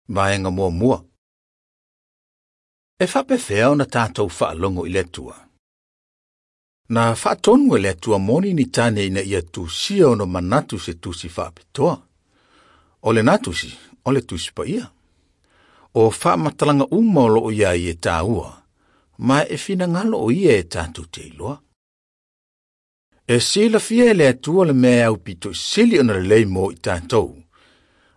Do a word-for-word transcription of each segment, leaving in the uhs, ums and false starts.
Vaega muamua. E faapefea ona tatou faalogo i le Atua. Na faatonu e le Atua moni ni tane ina ia tusia ona manatu se tusi faapitoa. O lena tusi, o le Tusi Paia. O faamatalaga uma o loo iai e taua, ma e finagalo o ia e tatou te iloa. E silafia e le Atua le mea e aupito sili ona lelei mo i tatou,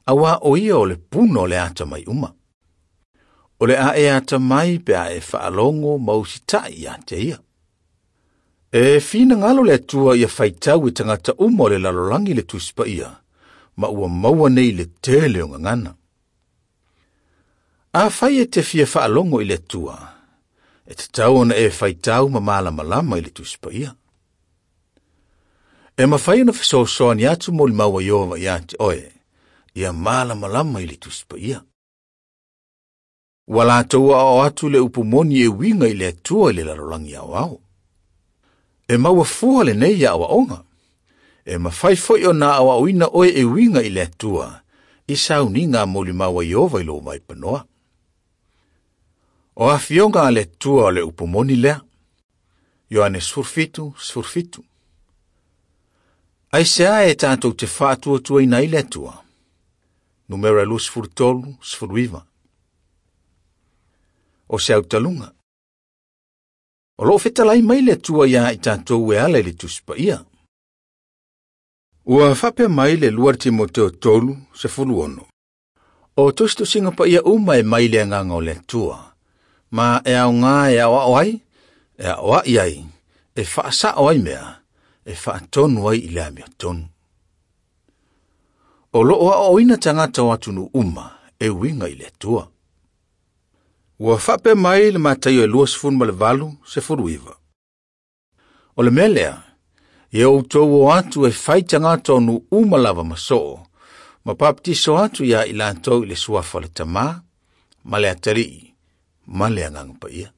auā o ia o le puna o le atamai uma. O le a e atamai pe a e faalogo ma usitai ia te ia. E finagalo le Atua ia faitau e tagata uma o le lalolagi le Tusi Paia, ma ua maua nei le tele o gagana. Afai e te fia faalogo i le Atua, e tatau ona e faitau ma malamalama i le Tusi Paia. E mafai ona fesoasoani atu molimau a Ieova ia te oe, ia malamalama i le Tusi Paia. Ua latou aoao atu le upu moni e uiga i le Atua i le lalolagi aoao. E maua fua lenei aoaoga. E mafai foi ona aoaoina oe e uiga i le Atua, i sauniga a molimau a Ieova i lou vaipanoa. O afioga a le Atua o le upu moni lea. Ioane sefulufitu, sefulufitu. Aisea e tatou te faatuatuaina ai le Atua? Numera luasefulutolu, sefuluiva. O se autaluga. O loo fetalai mai le Atua ia i tatou e ala i le Tusi Paia. Ua faapea mai le lua Timoteo tolu, sefulu ono. O tusitusiga paia uma e mai le agaga o le Atua, ma e aoga e aoao ai, e aoai ai, e faasao ai mea, e faatonu ai i le amiotonu. O loo aoaoina tagata o atunuu uma e uiga i le Atua. Ua faapea mai le Mataio e luasefulu ma le valu, sefulu iva. O le mea lea, ia outou o atu e fai tagata o nuu uma lava ma soo, ma papatiso atu ia i latou i le suafa o le Tamā, ma le Atalii, ma le Agaga Paia.